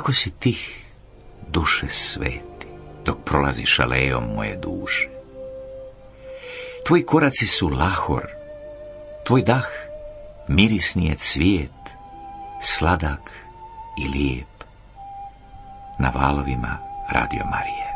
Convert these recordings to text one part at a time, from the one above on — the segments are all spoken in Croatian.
Kako si tih, duše sveti, dok prolaziš alejom moje duše. Tvoji koraci su lahor, tvoj dah mirisni je cvijet, sladak i lijep. Na valovima Radio Marije.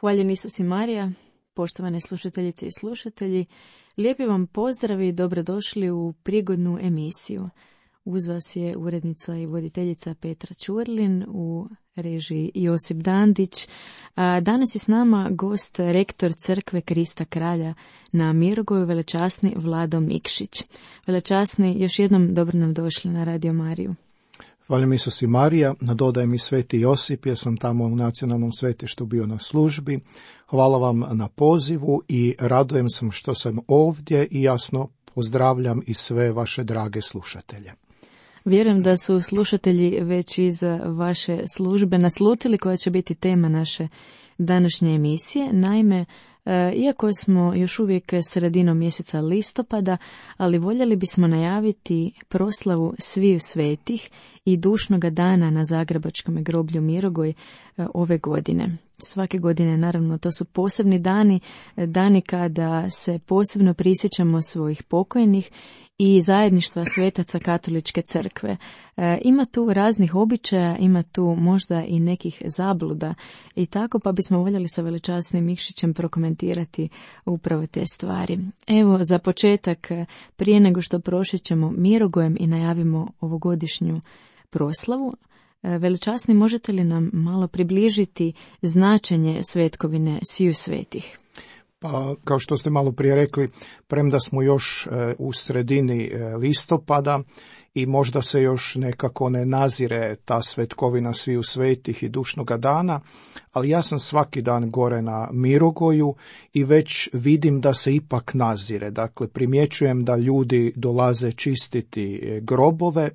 Hvaljen Isus i Marija, poštovane slušateljice i slušatelji, lijepi vam pozdrav i dobrodošli u prigodnu emisiju. Uz vas je urednica i voditeljica Petra Ćurlin, u režiji Josip Dandić. Danas je s nama gost, rektor Crkve Krista Kralja na Mirogoju, velečasni Vlado Mikšić. Velečasni, još jednom dobro nam došli na Radio Mariju. Hvaljen Isus i Marija, nadodajem i Sveti Josip, jer sam tamo u nacionalnom svetištu bio na službi. Hvala vam na pozivu i radujem se što sam ovdje i jasno pozdravljam i sve vaše drage slušatelje. Vjerujem da su slušatelji već iz vaše službe naslutili koja će biti tema naše današnje emisije. Naime, iako smo još uvijek sredinom mjeseca listopada, ali voljeli bismo najaviti proslavu Sviju svetih i dušnoga dana na Zagrebačkom groblju Mirogoj ove godine. Svake godine, naravno, to su posebni dani kada se posebno prisjećamo svojih pokojnih i zajedništva svetaca Katoličke crkve. Ima tu raznih običaja, ima tu možda i nekih zabluda i tako, pa bismo voljeli sa velečasnim Mikšićem prokomentirati upravo te stvari. Evo, za početak, prije nego što prošećemo Mirogojem i najavimo ovogodišnju proslavu, velečasni, možete li nam malo približiti značenje svetkovine Sviju svetih? Pa, kao što ste malo prije rekli, premda smo još u sredini listopada i možda se još nekako ne nazire ta svetkovina Sviju svetih i dušnoga dana, ali ja sam svaki dan gore na Mirogoju i već vidim da se ipak nazire. Dakle, primjećujem da ljudi dolaze čistiti grobove,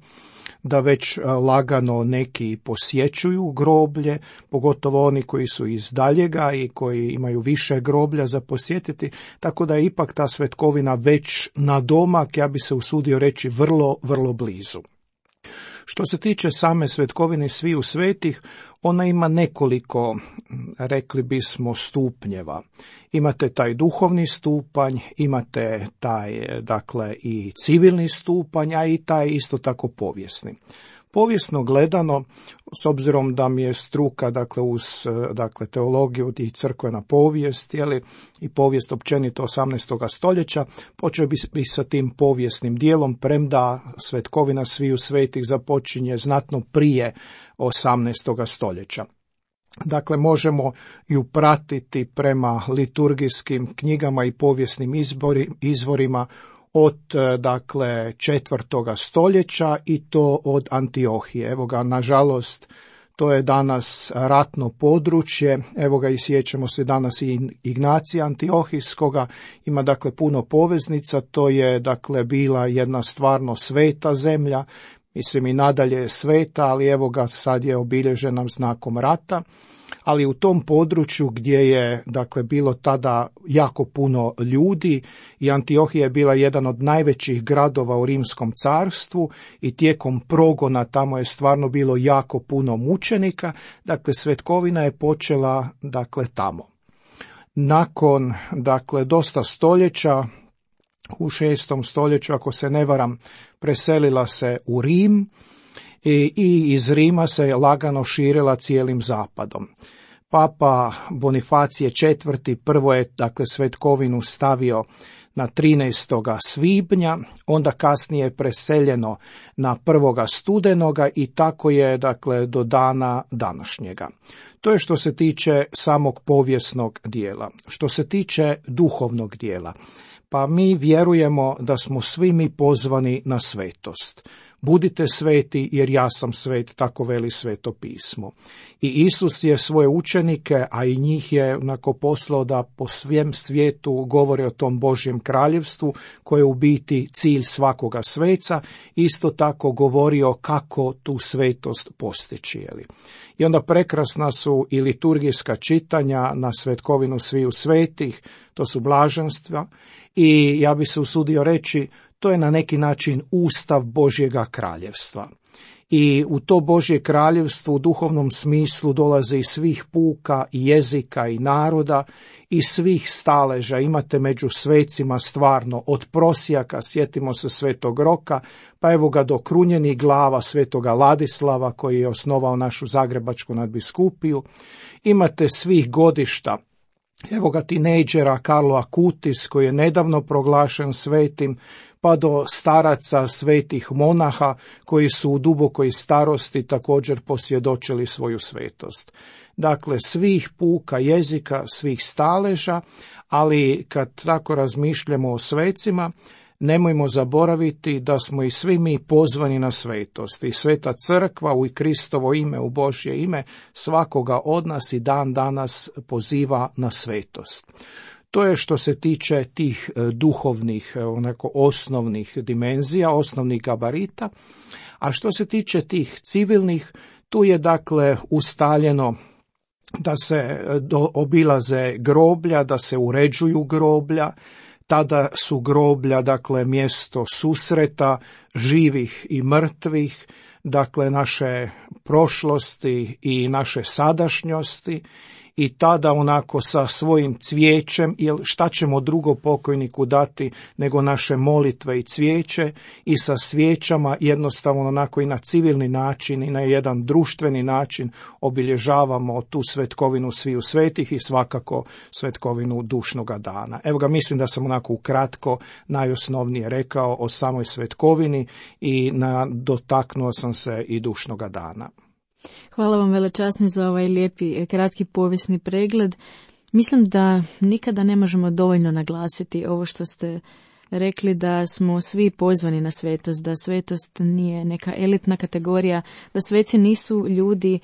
da već lagano neki posjećuju groblje, pogotovo oni koji su iz daljega i koji imaju više groblja za posjetiti, tako da je ipak ta svetkovina već na domak, ja bi se usudio reći, vrlo, vrlo blizu. Što se tiče same svetkovine Sviju svetih, ona ima nekoliko, rekli bismo, stupnjeva. Imate taj duhovni stupanj, imate taj, dakle, i civilni stupanj, a i taj isto tako povijesni. Povijesno gledano, s obzirom da mi je struka, dakle, uz teologiju i crkvena povijest, i povijest općenito 18. stoljeća, počeo bi sa tim povijesnim dijelom, premda svetkovina Sviju svetih započinje znatno prije 18. stoljeća. Dakle, možemo ju pratiti prema liturgijskim knjigama i povijesnim izvorima od, dakle, 4. stoljeća i to od Antiohije. Evo ga, nažalost, to je danas ratno područje. Evo ga, i sjećamo se danas i Ignacija Antiohijskoga. Ima, dakle, puno poveznica. To je, dakle, bila jedna stvarno sveta zemlja. Mislim, i nadalje je sveta, ali evo ga, sad je obilježena znakom rata. Ali u tom području gdje je, dakle, bilo tada jako puno ljudi i Antiohija je bila jedan od najvećih gradova u Rimskom carstvu i tijekom progona tamo je stvarno bilo jako puno mučenika, dakle, svetkovina je počela, dakle, tamo. Nakon, dakle, dosta stoljeća, u 6. stoljeću, ako se ne varam, preselila se u Rim i iz Rima se lagano širila cijelim zapadom. Papa Bonifacije IV. Prvo je, dakle, svetkovinu stavio na 13. svibnja, onda kasnije je preseljeno na 1. studenoga i tako je, dakle, do dana današnjega. To je što se tiče samog povijesnog dijela. Što se tiče duhovnog dijela, Pa mi vjerujemo da smo svi mi pozvani na svetost. Budite sveti jer ja sam svet, tako veli Sveto pismo. I Isus je svoje učenike, a i njih je onako poslao da po svem svijetu govore o tom Božjem kraljevstvu, koje je u biti cilj svakoga sveca, isto tako govorio kako tu svetost postići. I onda prekrasna su i liturgijska čitanja na svetkovinu sviju svetih, to su blaženstva, i ja bi se usudio reći, to je na neki način ustav Božjega kraljevstva. I u to Božje kraljevstvo u duhovnom smislu dolaze iz svih puka i jezika i naroda i svih staleža. Imate među svecima stvarno od prosjaka, sjetimo se Svetog Roka, pa evo ga do krunjenih glava Svetoga Ladislava koji je osnovao našu Zagrebačku nadbiskupiju. Imate svih godišta. Evo ga tinejdžera Carlo Acutis koji je nedavno proglašen svetim, pa do staraca svetih monaha koji su u dubokoj starosti također posvjedočili svoju svetost. Dakle, svih puka jezika, svih staleža, ali kad tako razmišljamo o svecima, nemojmo zaboraviti da smo i svi mi pozvani na svetost. I Sveta Crkva u Kristovo ime, u Božje ime, svakoga od nas i dan danas poziva na svetost. To je što se tiče tih duhovnih, onako osnovnih dimenzija, osnovnih gabarita. A što se tiče tih civilnih, tu je dakle ustaljeno da se obilaze groblja, da se uređuju groblja. Tada su groblja, dakle, mjesto susreta živih i mrtvih, dakle, naše prošlosti i naše sadašnjosti, i tada onako sa svojim cvijećem, jer šta ćemo drugo pokojniku dati nego naše molitve i cvijeće, i sa svijećama jednostavno onako i na civilni način i na jedan društveni način obilježavamo tu svetkovinu sviju svetih i svakako svetkovinu dušnoga dana. Evo ga, mislim da sam onako ukratko najosnovnije rekao o samoj svetkovini i dotaknuo sam se i dušnoga dana. Hvala vam velečasni za ovaj lijepi kratki povijesni pregled. Mislim da nikada ne možemo dovoljno naglasiti ovo što ste rekli, da smo svi pozvani na svetost, da svetost nije neka elitna kategorija, da sveci nisu ljudi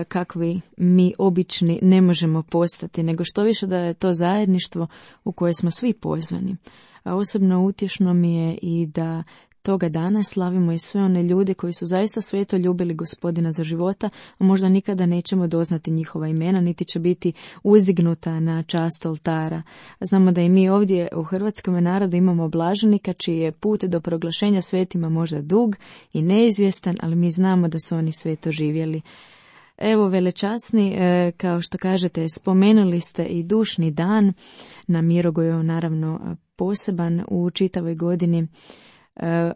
kakvi mi obični ne možemo postati, nego što više da je to zajedništvo u koje smo svi pozvani. A osobno utješno mi je i da toga dana slavimo i sve one ljude koji su zaista sveto ljubili Gospodina za života, a možda nikada nećemo doznati njihova imena, niti će biti uzdignuta na čast oltara. Znamo da i mi ovdje u hrvatskom narodu imamo blaženika čiji je put do proglašenja svetima možda dug i neizvjestan, ali mi znamo da su oni sveto živjeli. Evo, velečasni, kao što kažete, spomenuli ste i dušni dan, na Mirogoju naravno poseban u čitavoj godini.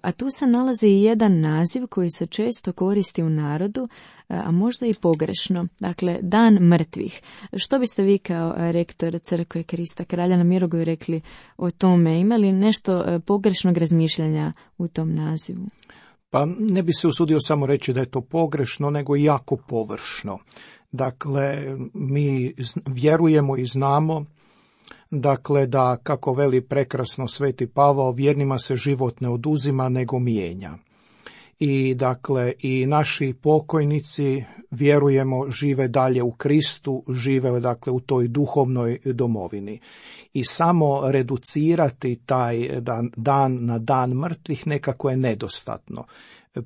A tu se nalazi i jedan naziv koji se često koristi u narodu, a možda i pogrešno, dakle Dan mrtvih. Što biste vi kao rektor Crkve Krista Kralja na Mirogoju rekli o tome? Ima li nešto pogrešnog razmišljanja u tom nazivu? Pa ne bi se usudio samo reći da je to pogrešno, nego jako površno. Dakle, mi vjerujemo i znamo, dakle, da, kako veli prekrasno Sveti Pavao, vjernima se život ne oduzima nego mijenja. I dakle, i naši pokojnici, vjerujemo, žive dalje u Kristu, žive dakle u toj duhovnoj domovini. I samo reducirati taj dan na dan mrtvih nekako je nedostatno.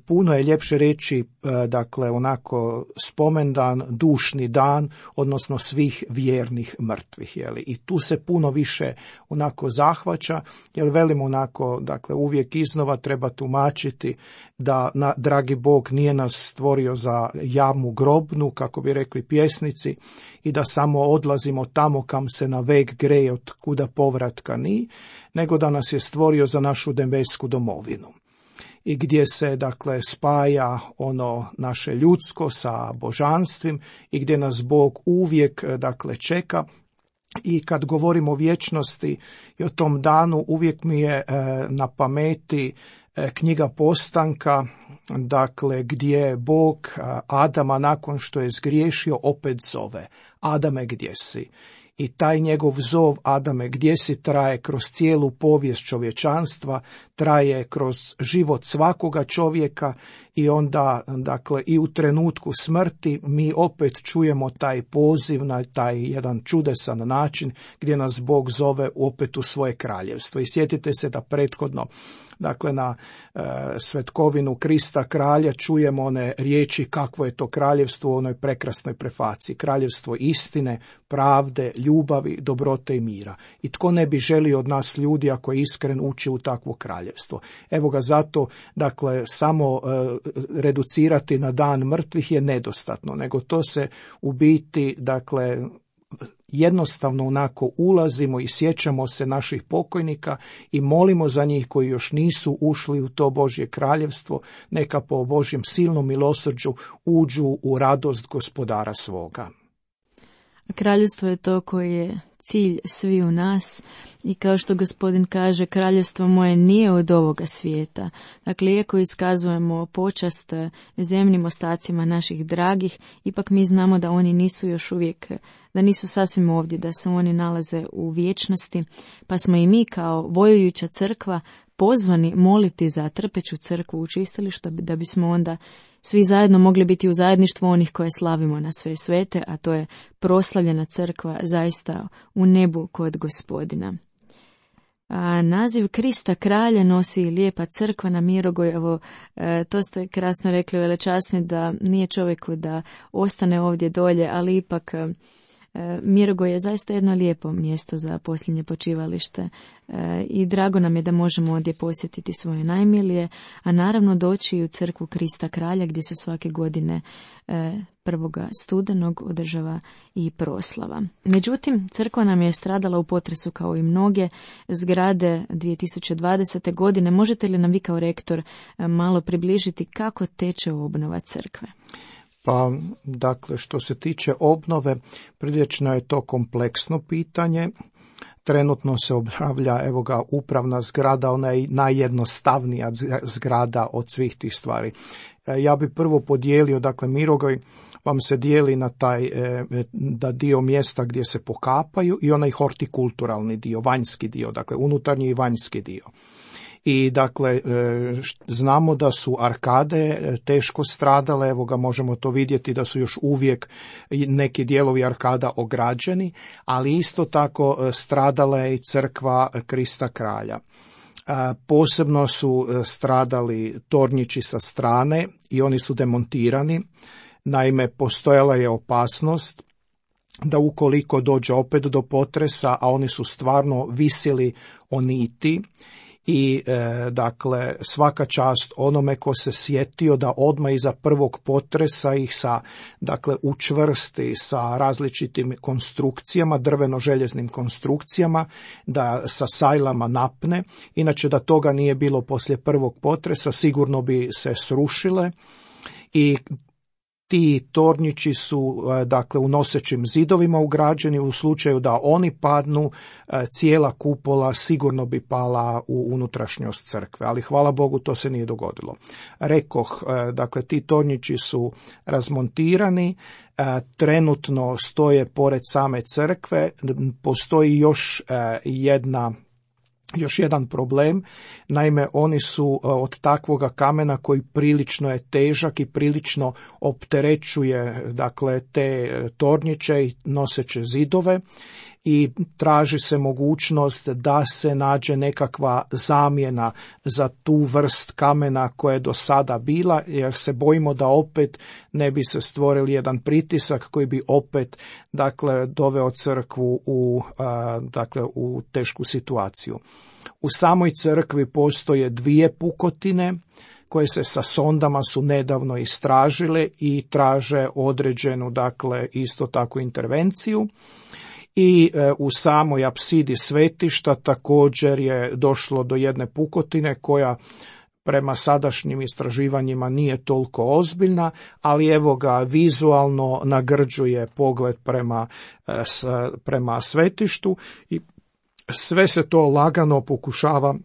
Puno je ljepše reći, dakle, onako spomendan, dušni dan, odnosno svih vjernih mrtvih, jeli. I tu se puno više onako zahvaća, jer velimo onako, dakle, uvijek iznova treba tumačiti da dragi Bog nije nas stvorio za jamu grobnu, kako bi rekli pjesnici, i da samo odlazimo tamo kam se na vek greje, od kuda povratka ni, nego da nas je stvorio za našu nebesku domovinu. I gdje se, dakle, spaja ono naše ljudsko sa božanstvim i gdje nas Bog uvijek, dakle, čeka. I kad govorimo o vječnosti i o tom danu, uvijek mi je na pameti knjiga Postanka, dakle, gdje Bog Adama nakon što je zgriješio opet zove: Adame, gdje si? I taj njegov zov, Adame, gdje si, traje kroz cijelu povijest čovječanstva, traje kroz život svakoga čovjeka i onda, dakle, i u trenutku smrti mi opet čujemo taj poziv na taj jedan čudesan način gdje nas Bog zove opet u svoje kraljevstvo. I sjetite se da prethodno, dakle, na svetkovinu Krista kralja čujemo one riječi kakvo je to kraljevstvo u onoj prekrasnoj prefaciji. Kraljevstvo istine, pravde, ljubavi, dobrote i mira. I tko ne bi želio od nas ljudi, ako je iskren, ući u takvo kraljevstvo. Evo ga, zato, dakle, samo reducirati na dan mrtvih je nedostatno, nego to se u biti, dakle, jednostavno onako ulazimo i sjećamo se naših pokojnika i molimo za njih koji još nisu ušli u to Božje kraljevstvo, neka po Božjem silnom milosrđu uđu u radost Gospodara svoga. Kraljevstvo je to koje je cilj svi u nas i kao što Gospodin kaže, kraljevstvo moje nije od ovoga svijeta. Dakle, iako iskazujemo počast zemnim ostacima naših dragih, ipak mi znamo da oni nisu još uvijek, da nisu sasvim ovdje, da se oni nalaze u vječnosti, pa smo i mi kao vojujuća crkva pozvani moliti za trpeću crkvu u čistilištu, da bismo onda svi zajedno mogli biti u zajedništvu onih koje slavimo na sve svete, a to je proslavljena crkva zaista u nebu kod Gospodina. A naziv Krista kralja nosi lijepa crkva na Mirogoj. Evo, to ste krasno rekli, velečasni, da nije čovjeku da ostane ovdje dolje, ali ipak Mirogoj je zaista jedno lijepo mjesto za posljednje počivalište i drago nam je da možemo ovdje posjetiti svoje najmilije, a naravno doći i u crkvu Krista kralja gdje se svake godine 1. studenog održava i proslava. Međutim, crkva nam je stradala u potresu kao i mnoge zgrade 2020. godine. Možete li nam vi kao rektor malo približiti kako teče obnova crkve? Pa, dakle, što se tiče obnove, prilično je to kompleksno pitanje. Trenutno se obnavlja, evo ga, upravna zgrada, ona je najjednostavnija zgrada od svih tih stvari. Ja bi prvo podijelio, dakle, Mirogoj vam se dijeli na taj da dio mjesta gdje se pokapaju i onaj hortikulturalni dio, vanjski dio, dakle, unutarnji i vanjski dio. I dakle, znamo da su arkade teško stradale, evo ga, možemo to vidjeti da su još uvijek neki dijelovi arkada ograđeni, ali isto tako stradala je i crkva Krista kralja. Posebno su stradali tornjići sa strane i oni su demontirani. Naime, postojala je opasnost da ukoliko dođe opet do potresa, a oni su stvarno visili o niti, i dakle, svaka čast onome ko se sjetio da odmah iza prvog potresa ih dakle, učvrsti sa različitim konstrukcijama, drveno-željeznim konstrukcijama, da sa sajlama napne. Inače, da toga nije bilo poslije prvog potresa, sigurno bi se srušile i ti tornjići su, dakle, u nosećim zidovima ugrađeni. U slučaju da oni padnu, cijela kupola sigurno bi pala u unutrašnjost crkve, ali hvala Bogu to se nije dogodilo. Rekoh, dakle, ti tornjići su razmontirani, trenutno stoje pored same crkve. Postoji još jedan problem, naime oni su od takvoga kamena koji prilično je težak i prilično opterećuje, dakle, te tornjiće i noseće zidove, i traži se mogućnost da se nađe nekakva zamjena za tu vrst kamena koja je do sada bila, jer se bojimo da opet ne bi se stvorili jedan pritisak koji bi opet, dakle, doveo crkvu u tešku situaciju. U samoj crkvi postoje 2 pukotine koje se sa sondama su nedavno istražile i traže određenu, dakle, isto tako intervenciju. I u samoj apsidi svetišta također je došlo do jedne pukotine koja prema sadašnjim istraživanjima nije toliko ozbiljna, ali evo ga, vizualno nagrđuje pogled prema svetištu i sve se to lagano pokušava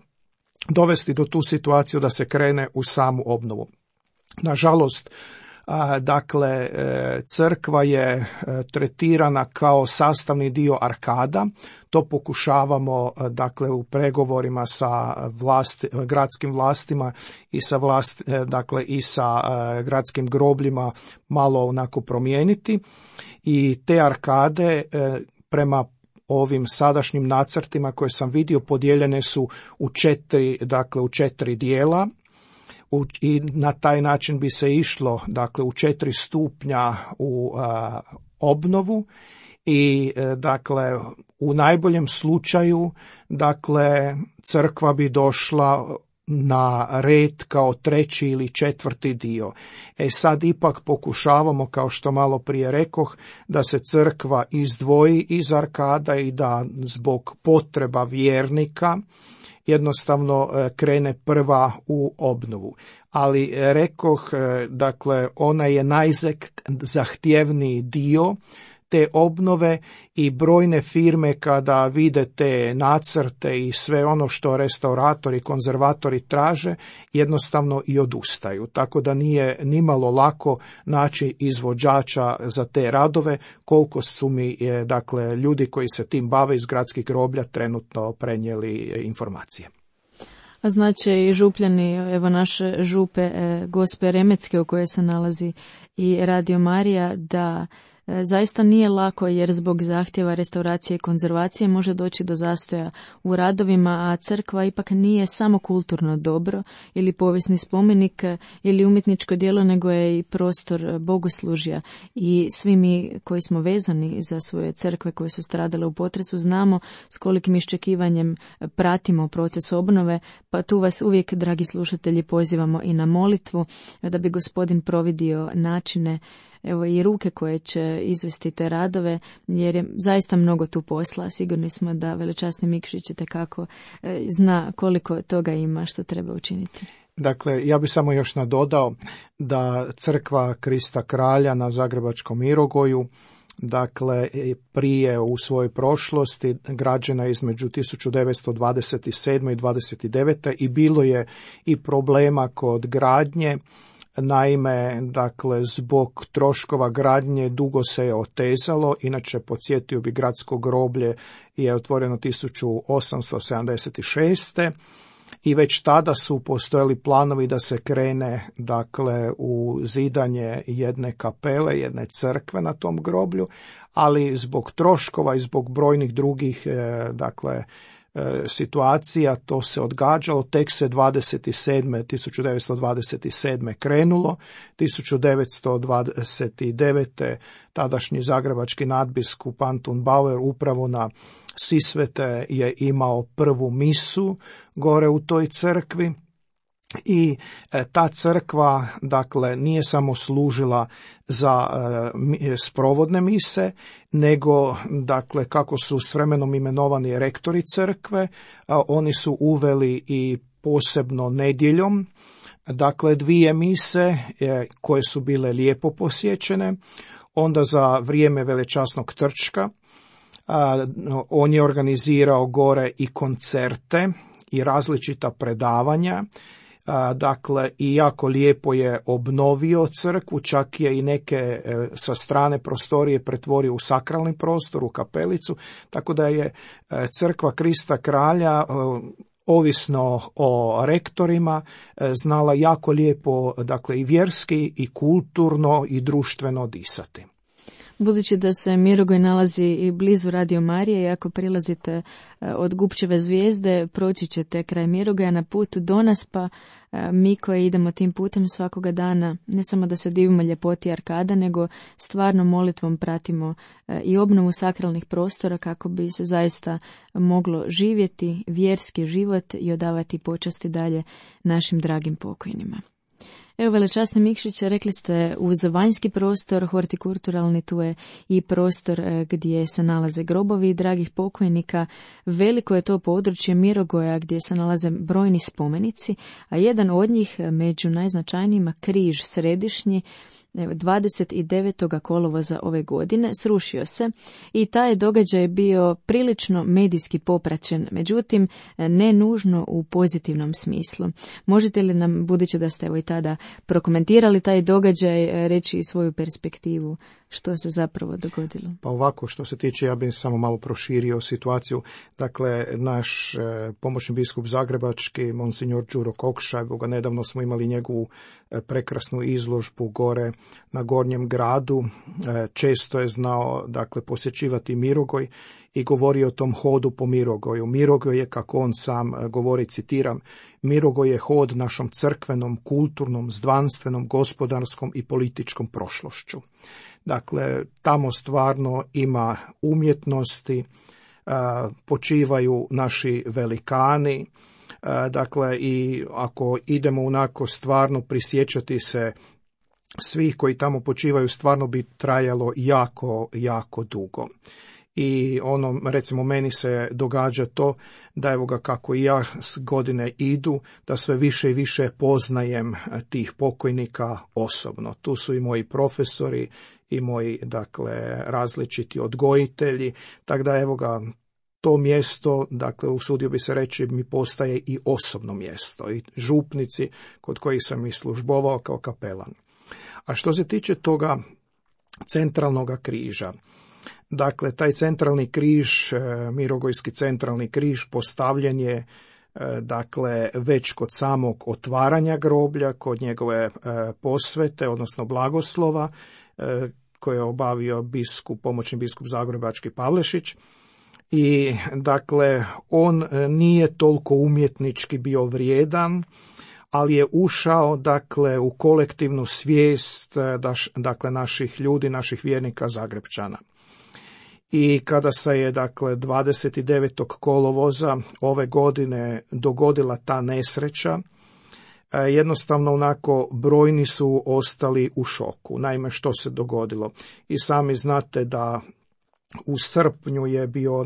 dovesti do tu situaciju da se krene u samu obnovu. Nažalost, Dakle, crkva je tretirana kao sastavni dio arkada. To pokušavamo, dakle, u pregovorima sa gradskim vlastima i sa gradskim grobljima malo onako promijeniti. I te arkade prema ovim sadašnjim nacrtima koje sam vidio podijeljene su u 4 dijela. I na taj način bi se išlo, dakle, u 4 stupnja u obnovu i, dakle, u najboljem slučaju, dakle, crkva bi došla na red kao 3. ili 4. dio. Sad ipak pokušavamo, kao što malo prije rekoh, da se crkva izdvoji iz arkada i da zbog potreba vjernika jednostavno krene prva u obnovu. Ali rekoh, dakle, ona je najzahtjevniji dio te obnove i brojne firme kada vide te nacrte i sve ono što restauratori, konzervatori traže, jednostavno i odustaju. Tako da nije nimalo lako naći izvođača za te radove, koliko su mi, dakle, ljudi koji se tim bave iz gradskih groblja trenutno prenijeli informacije. A znači i župljani, evo naše župe Gospe Remetske u kojoj se nalazi i Radio Marija, da zaista nije lako jer zbog zahtjeva restauracije i konzervacije može doći do zastoja u radovima, a crkva ipak nije samo kulturno dobro ili povijesni spomenik ili umjetničko djelo, nego je i prostor bogoslužja. I svi mi koji smo vezani za svoje crkve koje su stradale u potresu znamo s kolikim iščekivanjem pratimo proces obnove, pa tu vas uvijek, dragi slušatelji, pozivamo i na molitvu da bi Gospodin providio načine, evo i ruke koje će izvesti te radove, jer je zaista mnogo tu posla. Sigurni smo da velečasni Mikšić itekako zna koliko toga ima što treba učiniti. Dakle, ja bih samo još nadodao da crkva Krista Kralja na Zagrebačkom Mirogoju, dakle, prije u svojoj prošlosti građena između 1927. i 29. i bilo je i problema kod gradnje. Naime, dakle, zbog troškova gradnje dugo se je otezalo, inače podsjetio bi gradsko groblje je otvoreno 1876. I već tada su postojali planovi da se krene, dakle, u zidanje jedne kapele, jedne crkve na tom groblju, ali zbog troškova i zbog brojnih drugih, dakle, situacija to se odgađalo, tek se 1927. krenulo, 1929. tadašnji zagrebački nadbiskup Antun Bauer upravo na Sisvete je imao prvu misu gore u toj crkvi. I ta crkva, dakle, nije samo služila za sprovodne mise, nego, dakle, kako su s vremenom imenovani rektori crkve, oni su uveli i posebno nedjeljom, dakle, 2 mise koje su bile lijepo posjećene. Onda za vrijeme velečasnog Trčka on je organizirao gore i koncerte i različita predavanja. Dakle, i jako lijepo je obnovio crkvu, čak je i neke sa strane prostorije pretvorio u sakralni prostor, u kapelicu, tako da je crkva Krista Kralja, ovisno o rektorima, znala jako lijepo, dakle, i vjerski i kulturno i društveno disati. Budući da se Mirogoj nalazi i blizu Radio Marije i ako prilazite od Gupčeve zvijezde, proći ćete kraj Mirogoja na putu do nas, pa mi koji idemo tim putem svakoga dana, ne samo da se divimo ljepoti arkada, nego stvarno molitvom pratimo i obnovu sakralnih prostora kako bi se zaista moglo živjeti vjerski život i odavati počasti dalje našim dragim pokojnima. Evo, velečasni Mikšić, rekli ste uz vanjski prostor, hortikulturalni, tu je i prostor gdje se nalaze grobovi dragih pokojnika. Veliko je to područje Mirogoja gdje se nalaze brojni spomenici, a jedan od njih među najznačajnijima, križ središnji, 29. kolovoza ove godine srušio se i taj događaj je bio prilično medijski popraćen, međutim ne nužno u pozitivnom smislu. Možete li nam, budući da ste i tada prokomentirali taj događaj, reći i svoju perspektivu što se zapravo dogodilo? Pa ovako, što se tiče, ja bih samo malo proširio situaciju. Dakle, naš pomoćni biskup zagrebački, monsignor Đuro Kokša, nedavno smo imali njegovu prekrasnu izložbu gore na Gornjem gradu. Često je znao, dakle, posjećivati Mirogoj i govori o tom hodu po Mirogoju. Mirogoj je, kako on sam govori, citiram, Mirogoj je hod našom crkvenom, kulturnom, zdvanstvenom, gospodarskom i političkom prošlošću. Dakle, tamo stvarno ima umjetnosti, počivaju naši velikani, dakle, i ako idemo onako stvarno prisjećati se svih koji tamo počivaju, stvarno bi trajalo jako, jako dugo. I recimo, meni se događa to da evo ga, kako i ja s godine idu, da sve više i više poznajem tih pokojnika osobno. Tu su i moji profesori i moji, dakle, različiti odgojitelji, tako da evo ga, to mjesto, dakle, usudio bi se reći, mi postaje i osobno mjesto, i župnici kod kojih sam i službovao kao kapelan. A što se tiče toga centralnog križa, dakle, taj centralni križ, Mirogojski centralni križ, postavljen je, dakle, već kod samog otvaranja groblja, kod njegove posvete, odnosno blagoslova, koje je obavio pomoćni biskup zagrebački Pavlešić. I, dakle, on nije toliko umjetnički bio vrijedan, ali je ušao, dakle, u kolektivnu svijest, dakle, naših ljudi, naših vjernika Zagrepčana. I kada se je, dakle, 29. kolovoza ove godine dogodila ta nesreća, jednostavno onako brojni su ostali u šoku. Naime, što se dogodilo? I sami znate da u srpnju je bio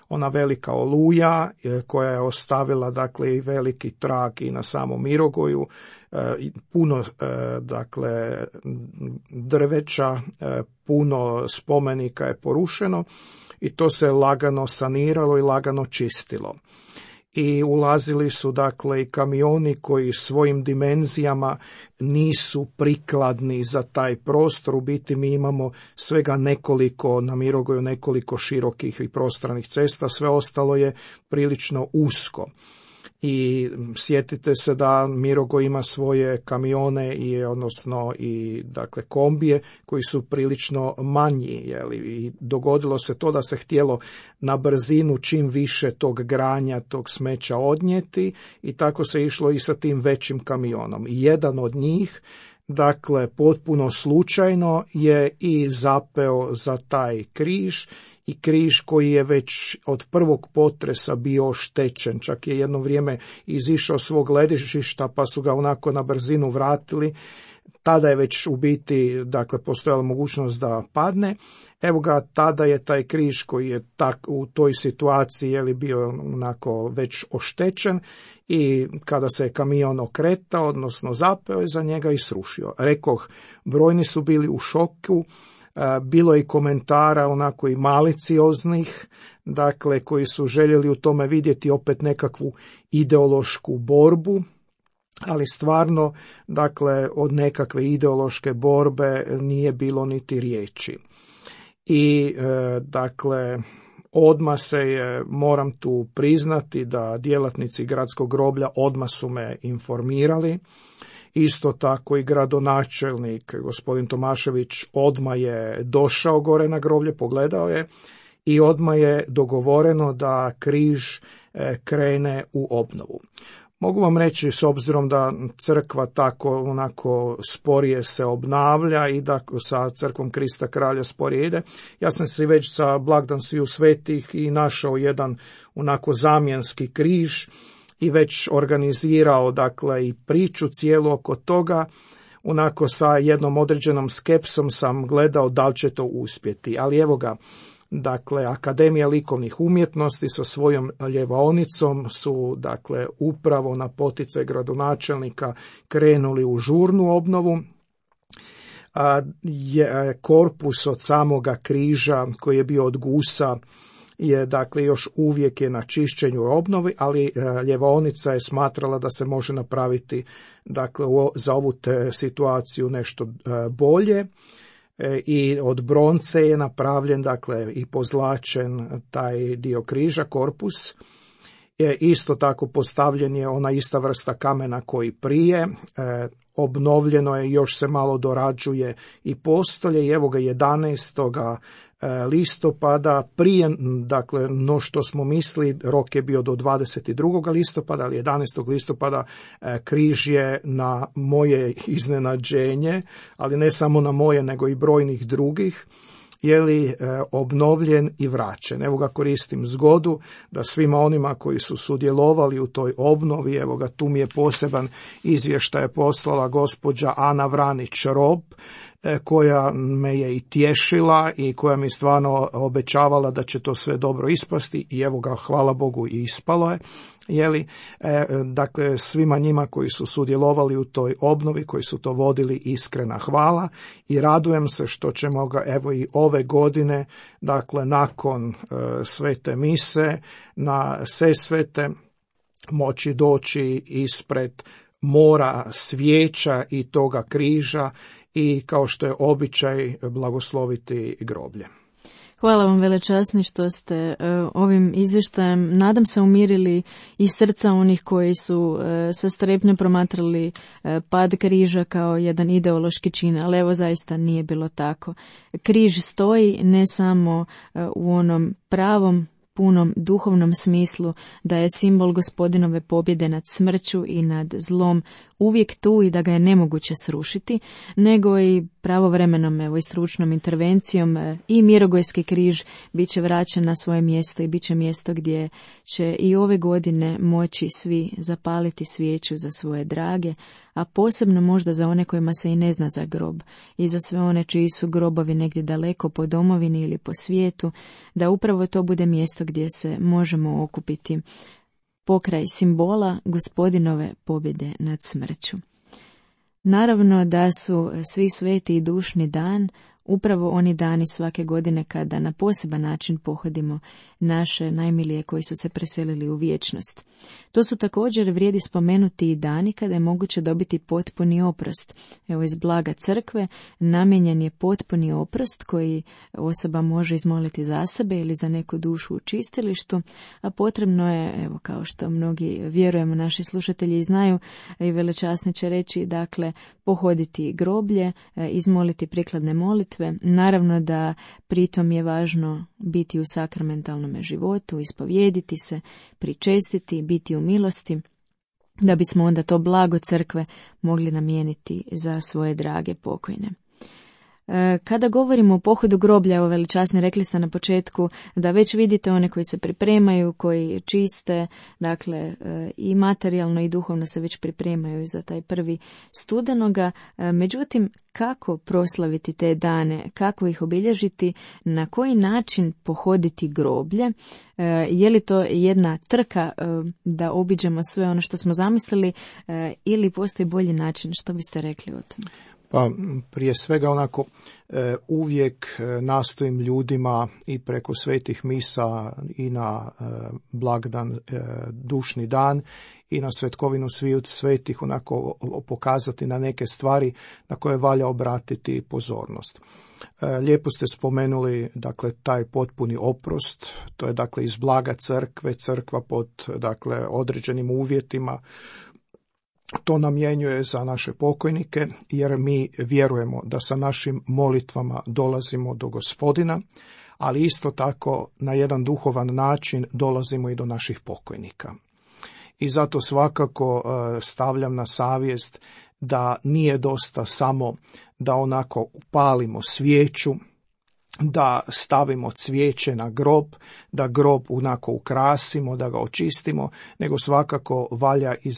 ona velika oluja koja je ostavila, dakle, i veliki trag i na samom Mirogoju, puno, dakle, drveća, puno spomenika je porušeno i to se lagano saniralo i lagano čistilo. I ulazili su, dakle, i kamioni koji svojim dimenzijama nisu prikladni za taj prostor. U biti mi imamo svega nekoliko, na Mirogoju nekoliko širokih i prostranih cesta, sve ostalo je prilično usko. I sjetite se da Mirogoj ima svoje kamione odnosno i, dakle, kombije koji su prilično manji, i dogodilo se to da se htjelo na brzinu čim više tog granja, tog smeća odnijeti, i tako se išlo i sa tim većim kamionom. I jedan od njih, dakle, potpuno slučajno je i zapeo za taj križ, i križ koji je već od prvog potresa bio oštećen, čak je jedno vrijeme izišao svog ležišta pa su ga onako na brzinu vratili. Tada je već u biti, dakle, postojala mogućnost da padne. Evo ga, tada je taj križ koji je u toj situaciji bio onako već oštećen, i kada se je kamion okretao, odnosno zapeo je za njega i srušio. Rekoh, brojni su bili u šoku. Bilo je i komentara onako i malicioznih, dakle, koji su željeli u tome vidjeti opet nekakvu ideološku borbu, ali stvarno, dakle, od nekakve ideološke borbe nije bilo niti riječi. I, dakle, odmah se je, moram tu priznati da djelatnici gradskog groblja odmah su me informirali. Isto tako i gradonačelnik, gospodin Tomašević, odmah je došao gore na groblje, pogledao je i odmah je dogovoreno da križ krene u obnovu. Mogu vam reći, s obzirom da crkva tako onako sporije se obnavlja i da sa crkvom Krista kralja sporije ide, ja sam se već za blagdan sviju svetih i našao jedan onako zamjenski križ i već organizirao, dakle, i priču cijelu oko toga. Onako sa jednom određenom skepsom sam gledao da li će to uspjeti, ali evo ga, dakle, Akademija likovnih umjetnosti sa svojom ljevaonicom su, dakle, upravo na poticaj gradonačelnika krenuli u žurnu obnovu. korpus od samoga križa koji je bio od gusa je dakle još uvijek je na čišćenju i obnovi, ali ljevaonica je smatrala da se može napraviti dakle za ovu situaciju nešto bolje. I od bronce je napravljen dakle i pozlačen taj dio križa, korpus. Isto tako postavljen je ona ista vrsta kamena koji prije, obnovljeno je, još se malo dorađuje i postolje i evo ga 11. listopada, prije dakle no što smo mislili, rok je bio do 22. listopada, ali 11. listopada križ je na moje iznenađenje, ali ne samo na moje nego i brojnih drugih, je li obnovljen i vraćen. Evo ga, koristim zgodu da svima onima koji su sudjelovali u toj obnovi, evo ga, tu mi je poseban izvještaj poslala gospođa Ana Vranić-Rob, koja me je i tješila i koja mi stvarno obećavala da će to sve dobro ispasti i evo ga, hvala Bogu, i ispalo je. Dakle, svima njima koji su sudjelovali u toj obnovi, koji su to vodili, iskrena hvala i radujem se što ćemo ga evo i ove godine, dakle nakon svete mise na Sesvete moći doći ispred mora svijeća i toga križa i kao što je običaj blagosloviti groblje. Hvala vam, velečasni, što ste ovim izvještajem, nadam se, umirili i srca onih koji su sa strepnjom promatrali pad križa kao jedan ideološki čin, ali evo zaista nije bilo tako. Križ stoji ne samo u onom pravom, punom duhovnom smislu da je simbol Gospodinove pobjede nad smrću i nad zlom uvijek tu i da ga je nemoguće srušiti, nego i pravovremenom evo i stručnom intervencijom i Mirogojski križ bit će vraćen na svoje mjesto i bit će mjesto gdje će i ove godine moći svi zapaliti svijeću za svoje drage, a posebno možda za one kojima se i ne zna za grob i za sve one čiji su grobovi negdje daleko po domovini ili po svijetu, da upravo to bude mjesto gdje se možemo okupiti pokraj simbola Gospodinove pobjede nad smrću. Naravno da su svi sveti i dušni dan upravo oni dani svake godine kada na poseban način pohodimo naše najmilije koji su se preselili u vječnost. To su također, vrijedi spomenuti, i dani kada je moguće dobiti potpuni oprost. Evo, iz blaga crkve namijenjen je potpuni oprost koji osoba može izmoliti za sebe ili za neku dušu u čistilištu, a potrebno je, evo, kao što mnogi vjerujemo, naši slušatelji znaju i velečasni će reći, dakle, pohoditi groblje, izmoliti prikladne molitve. Naravno da pritom je važno biti u sakramentalnom životu, ispovijediti se, pričestiti, biti u milosti, da bismo onda to blago crkve mogli namijeniti za svoje drage pokojne. Kada govorimo o pohodu groblja, evo velečasni, rekli ste na početku da već vidite one koji se pripremaju, koji čiste, dakle i materijalno i duhovno se već pripremaju za taj 1. studenoga. Međutim, kako proslaviti te dane, kako ih obilježiti, na koji način pohoditi groblje? Je li to jedna trka da obiđemo sve ono što smo zamislili ili postoji bolji način? Što biste rekli o tome? Pa prije svega onako uvijek nastojim ljudima i preko svetih misa i na blagdan dušni dan i na svetkovinu sviju svetih onako pokazati na neke stvari na koje valja obratiti pozornost. Lijepo ste spomenuli, dakle, taj potpuni oprost, to je dakle iz blaga crkve, crkva pod dakle određenim uvjetima to namjenjuje za naše pokojnike, jer mi vjerujemo da sa našim molitvama dolazimo do Gospodina, ali isto tako na jedan duhovan način dolazimo i do naših pokojnika. I zato svakako stavljam na savjest da nije dosta samo da onako upalimo svijeću, da stavimo cvijeće na grob, da grob onako ukrasimo, da ga očistimo, nego svakako valja i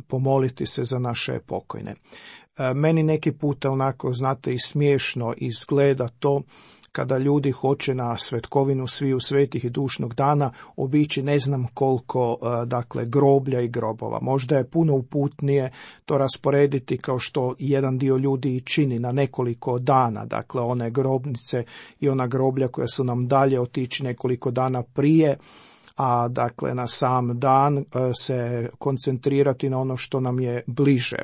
pomoliti se za naše pokojne. Meni neki puta onako, znate, i smiješno izgleda to kada ljudi hoće na svetkovinu sviju svetih i dušnog dana obići ne znam koliko dakle groblja i grobova. Možda je puno uputnije to rasporediti kao što jedan dio ljudi i čini na nekoliko dana, dakle one grobnice i ona groblja koja su nam dalje otići nekoliko dana prije, a dakle na sam dan se koncentrirati na ono što nam je bliže.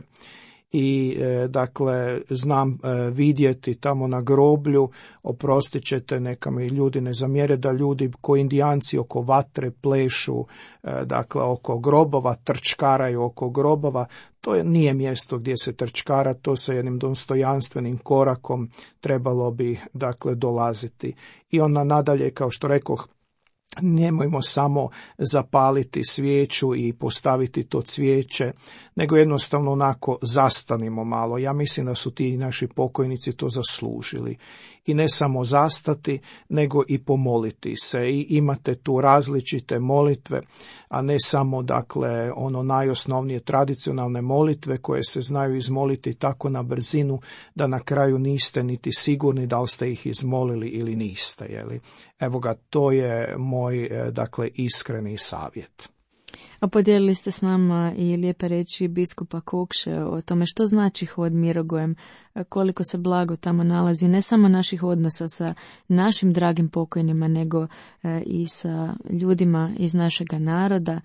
I dakle znam vidjeti tamo na groblju, oprostit ćete, neka mi ljudi ne zamjere, da ljudi ko Indijanci oko vatre plešu, dakle oko grobova, trčkaraju oko grobova. To nije mjesto gdje se trčkara, to sa jednim dostojanstvenim korakom trebalo bi dakle dolaziti. I onda nadalje, kao što rekoh, nemojmo samo zapaliti svijeću i postaviti to cvijeće, nego jednostavno onako zastanimo malo. Ja mislim da su ti naši pokojnici to zaslužili. I ne samo zastati, nego i pomoliti se. I imate tu različite molitve, a ne samo dakle ono najosnovnije tradicionalne molitve koje se znaju izmoliti tako na brzinu da na kraju niste niti sigurni da li ste ih izmolili ili niste. Jeli? Evo ga, to je moj dakle iskreni savjet. A podijelili ste s nama i lijepe reči biskupa Kokše o tome što znači hod Mirogojem, koliko se blago tamo nalazi, ne samo naših odnosa sa našim dragim pokojnima, nego i sa ljudima iz našega naroda,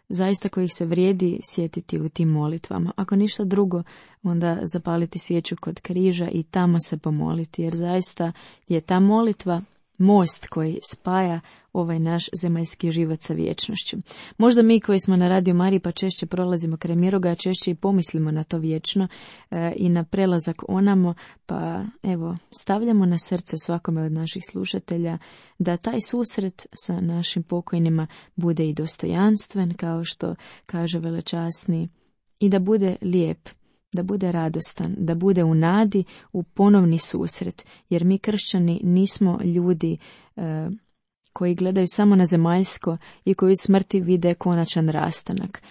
zaista kojih se vrijedi sjetiti u tim molitvama. Ako ništa drugo, onda zapaliti svijeću kod križa i tamo se pomoliti, jer zaista je ta molitva most koji spaja ovaj naš zemaljski život sa vječnošću. Možda mi koji smo na Radio Mariji pa češće prolazimo kraj Mirogoja, češće i pomislimo na to vječno i na prelazak onamo, pa evo, stavljamo na srce svakome od naših slušatelja da taj susret sa našim pokojnima bude i dostojanstven, kao što kaže velečasni, i da bude lijep, da bude radostan, da bude u nadi u ponovni susret, jer mi kršćani nismo ljudi koji gledaju samo na zemaljsko i koji u smrti vide konačan rastanak.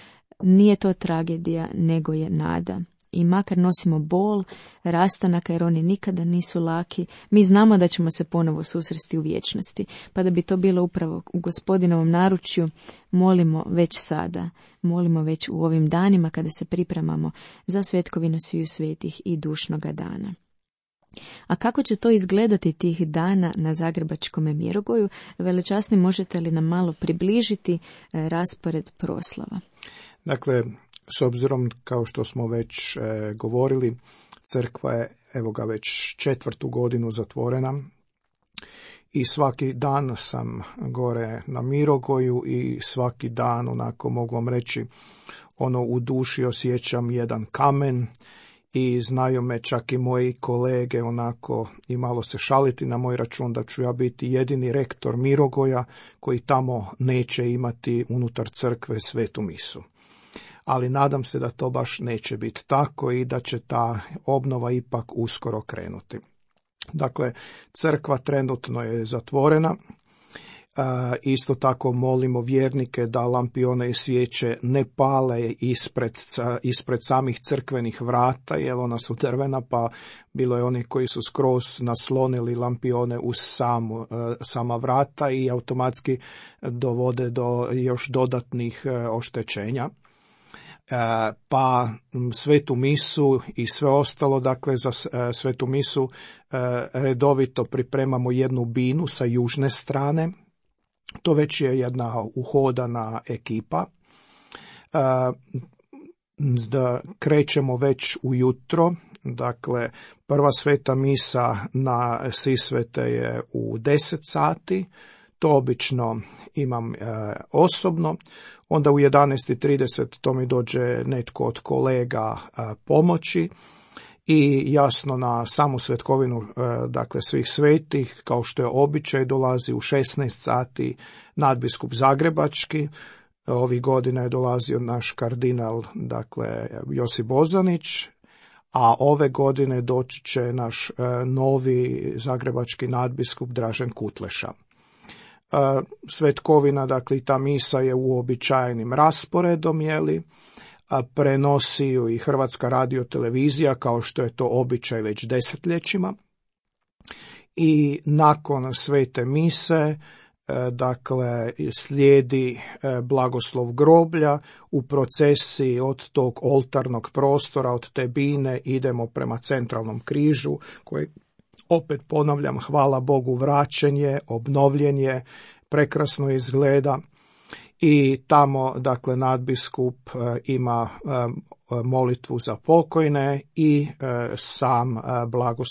Nije to tragedija, nego je nada. I makar nosimo bol rastanaka, jer oni nikada nisu laki, mi znamo da ćemo se ponovo susresti u vječnosti. Pa da bi to bilo upravo u Gospodinovom naručju, molimo već sada, molimo već u ovim danima kada se pripremamo za svetkovinu sviju svetih i dušnoga dana. A kako će to izgledati tih dana na Zagrebačkom Mirogoju? Velečasni, možete li nam malo približiti raspored proslava? Dakle, s obzirom, kao što smo već govorili, crkva je, evo ga, već 4. godinu zatvorena i svaki dan sam gore na Mirogoju i svaki dan, onako mogu vam reći, u duši osjećam jedan kamen i znaju me čak i moji kolege onako i malo se šaliti na moj račun da ću ja biti jedini rektor Mirogoja koji tamo neće imati unutar crkve svetu misu. Ali nadam se da to baš neće biti tako i da će ta obnova ipak uskoro krenuti. Dakle, crkva trenutno je zatvorena. Isto tako molimo vjernike da lampione i svijeće ne pale ispred samih crkvenih vrata, jer ona su drvena, pa bilo je oni koji su skroz naslonili lampione uz sama vrata i automatski dovode do još dodatnih oštećenja. Pa svetu misu i sve ostalo, dakle za svetu misu redovito pripremamo jednu binu sa južne strane. To već je jedna uhodana ekipa. Da krećemo već ujutro, dakle prva sveta misa na Sisvete je u 10 sati, to obično imam osobno, onda u 11:30 to mi dođe netko od kolega pomoći i jasno na samu svetkovinu, dakle svih svetih, kao što je običaj, dolazi u 16 sati nadbiskup Zagrebački. Ovih godina je dolazio naš kardinal, dakle Josip Bozanić, a ove godine doći će naš novi zagrebački nadbiskup Dražen Kutleša. Svetkovina, dakle i ta misa je uobičajenim rasporedom, prenosi ju i Hrvatska radiotelevizija kao što je to običaj već desetljećima. i nakon svete mise dakle slijedi blagoslov groblja. U procesiji od tog oltarnog prostora, od te bine idemo prema centralnom križu koji, opet ponavljam, hvala Bogu, vraćen je, obnovljen je, prekrasno izgleda. I tamo dakle nadbiskup ima molitvu za pokojne i sam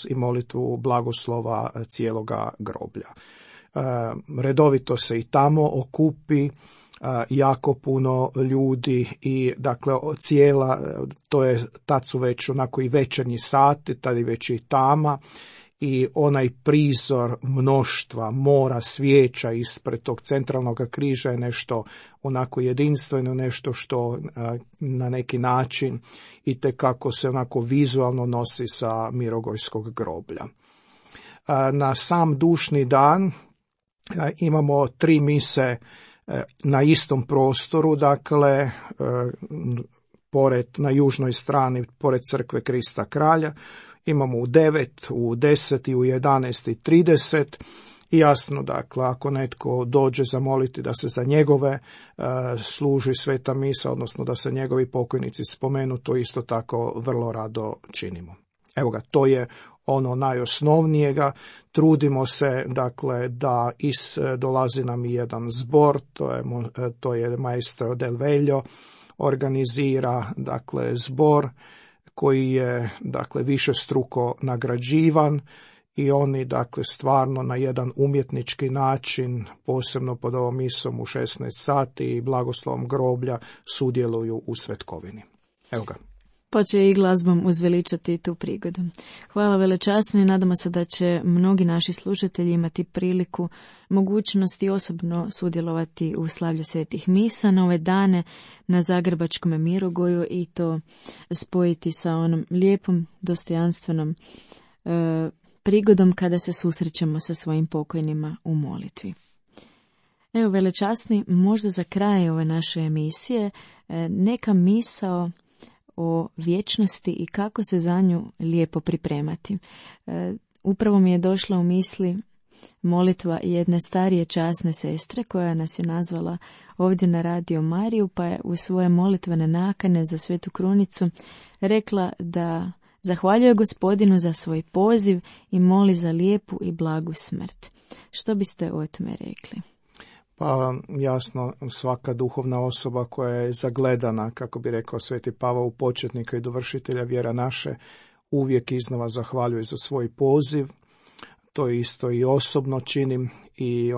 i molitvu blagoslova cijeloga groblja. Redovito se i tamo okupi jako puno ljudi i dakle tad su već onako i večernji sati, tad je već i tama i onaj prizor mnoštva, mora svijeća ispred tog centralnog križa je nešto onako jedinstveno, nešto što na neki način itekako se onako vizualno nosi sa Mirogojskog groblja. Na sam dušni dan imamo 3 mise na istom prostoru, dakle na južnoj strani, pored crkve Krista Kralja. Imamo u 9, u 10 i u 11:30. I jasno, dakle, ako netko dođe zamoliti da se za njegove služi sveta misa, odnosno da se njegovi pokojnici spomenu, to isto tako vrlo rado činimo. Evo ga, to je ono najosnovnijega. Trudimo se, dakle, da dolazi nam i jedan zbor, to je maestro Del Veljo, organizira, dakle, zbor koji je, dakle, višestruko nagrađivan i oni, dakle, stvarno na jedan umjetnički način, posebno pod ovom misom u 16 sati i blagoslovom groblja, sudjeluju u svetkovini. Evo ga. Pa će i glazbom uzveličati tu prigodu. Hvala velečasno i nadamo se da će mnogi naši slušatelji imati priliku, mogućnosti osobno sudjelovati u slavlju svetih misa na ove dane na Zagrebačkom Mirogoju i to spojiti sa onom lijepom, dostojanstvenom prigodom kada se susrećemo sa svojim pokojnima u molitvi. Evo, velečasni, možda za kraj ove naše emisije neka misao o vječnosti i kako se za nju lijepo pripremati. Upravo mi je došla u misli molitva jedne starije časne sestre koja nas je nazvala ovdje na Radio Mariju, pa je u svoje molitvene nakane za Svetu Krunicu rekla da zahvaljuje Gospodinu za svoj poziv i moli za lijepu i blagu smrt. Što biste o tome rekli? Pa jasno, svaka duhovna osoba koja je zagledana, kako bi rekao Sveti Pavao, u početnika i dovršitelja vjera naše, uvijek iznova zahvaljuje za svoj poziv. To isto i osobno činim i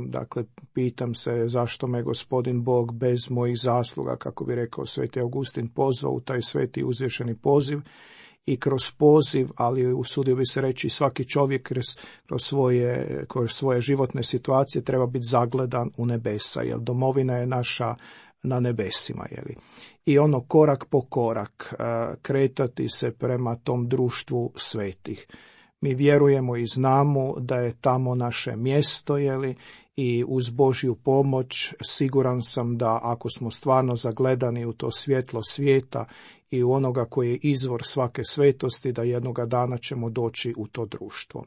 dakle, pitam se zašto me Gospodin Bog bez mojih zasluga, kako bi rekao Sveti Augustin, pozvao u taj sveti uzvišeni poziv. I kroz poziv, ali usudio bi se reći svaki čovjek kroz svoje životne situacije treba biti zagledan u nebesa, jer domovina je naša na nebesima. I korak po korak kretati se prema tom društvu svetih. Mi vjerujemo i znamo da je tamo naše mjesto, i uz Božju pomoć siguran sam da ako smo stvarno zagledani u to svjetlo svijeta i u onoga koji je izvor svake svetosti, da jednoga dana ćemo doći u to društvo.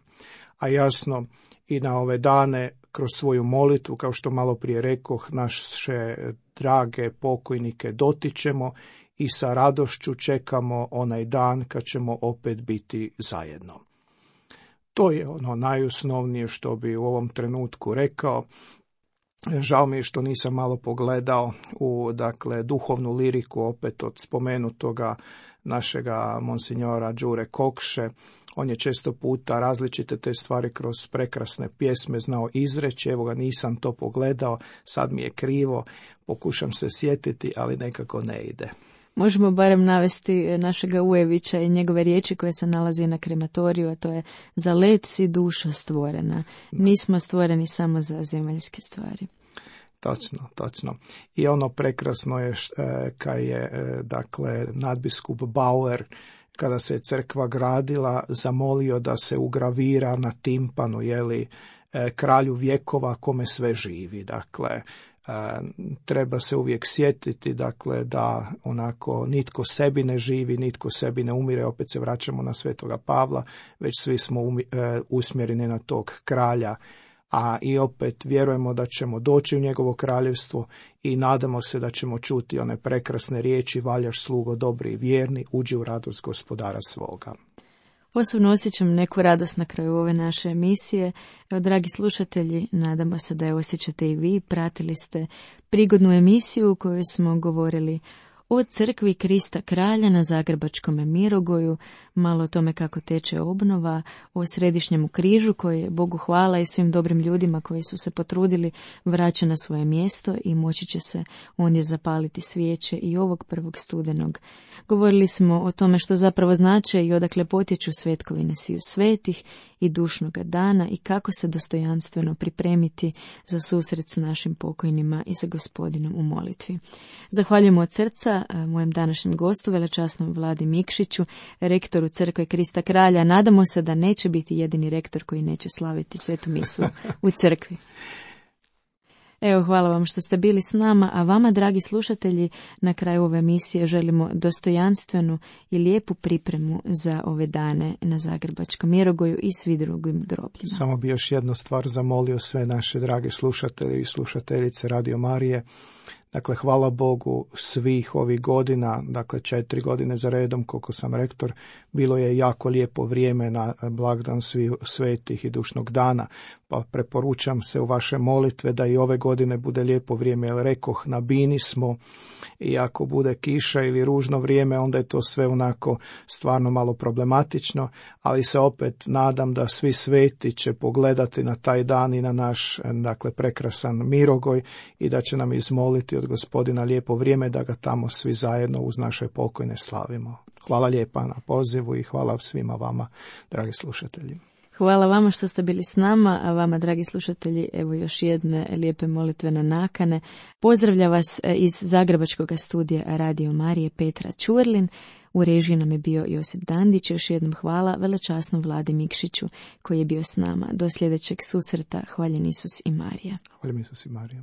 A jasno, i na ove dane kroz svoju molitvu, kao što malo prije rekoh, naše drage pokojnike dotičemo i sa radošću čekamo onaj dan kad ćemo opet biti zajedno. To je najosnovnije što bi u ovom trenutku rekao. Žao mi je što nisam malo pogledao u duhovnu liriku opet od spomenutoga našega monsinjora Đure Kokše. On je često puta različite te stvari kroz prekrasne pjesme znao izreći. Evo ga, nisam to pogledao, sad mi je krivo, pokušam se sjetiti, ali nekako ne ide. Možemo barem navesti našega Ujevića i njegove riječi koje se nalazi na krematoriju, a to je: za let si duša stvorena, nismo stvoreni samo za zemaljske stvari. Točno. I prekrasno je kad je nadbiskup Bauer, kada se crkva gradila, zamolio da se ugravira na timpanu, kralju vjekova kome sve živi. Dakle, treba se uvijek sjetiti, dakle, da onako nitko sebi ne živi, nitko sebi ne umire, opet se vraćamo na Svetoga Pavla, već svi smo usmjereni na tog kralja, a i opet vjerujemo da ćemo doći u njegovo kraljevstvo i nadamo se da ćemo čuti one prekrasne riječi: valjaš slugo dobri i vjerni, uđi u radost gospodara svoga. Osobno osjećam neku radost na kraju ove naše emisije. Evo, dragi slušatelji, nadamo se da je osjećate i vi. Pratili ste prigodnu emisiju u kojoj smo govorili o crkvi Krista Kralja na Zagrebačkom Mirogoju, malo o tome kako teče obnova, o Središnjemu križu koji je, Bogu hvala, i svim dobrim ljudima koji su se potrudili, vraća na svoje mjesto i moći će se ondje zapaliti svijeće i ovog 1. studenog. Govorili smo o tome što zapravo znače i odakle potječu svetkovine sviju svetih i dušnoga dana i kako se dostojanstveno pripremiti za susret s našim pokojnima i sa Gospodinom u molitvi. Zahvaljujemo od srca mojem današnjem gostu, velečasnom Vladi Mikšiću, rektoru Crkve Krista Kralja. Nadamo se da neće biti jedini rektor koji neće slaviti svetu misu u crkvi. Evo, hvala vam što ste bili s nama, a vama, dragi slušatelji, na kraju ove emisije želimo dostojanstvenu i lijepu pripremu za ove dane na Zagrebačkom Mirogoju i svi drugim grobljima. Samo bi još jednu stvar zamolio sve naše drage slušatelje i slušateljice Radio Marije. Dakle, hvala Bogu, svih ovih godina, dakle 4 godine za redom koliko sam rektor, bilo je jako lijepo vrijeme na blagdan svih svetih i dušnog dana, pa preporučam se u vaše molitve da i ove godine bude lijepo vrijeme, jer rekoh, na bini smo i ako bude kiša ili ružno vrijeme, onda je to sve onako stvarno malo problematično, ali se opet nadam da svi sveti će pogledati na taj dan i na naš, dakle, prekrasan Mirogoj i da će nam izmoliti od Gospodina lijepo vrijeme da ga tamo svi zajedno uz naše pokojne slavimo. Hvala lijepa na pozivu i hvala svima vama, dragi slušatelji. Hvala vama što ste bili s nama, a vama, dragi slušatelji, evo još jedne lijepe molitvene nakane. Pozdravlja vas iz Zagrebačkog studija Radio Marije Petra Ćurlin. U režiji nam je bio Josip Dandić. Još jednom hvala velečasnom Vladi Mikšiću koji je bio s nama. Do sljedećeg susreta. Hvaljen Isus i Marija. Hvaljen Isus i Marija.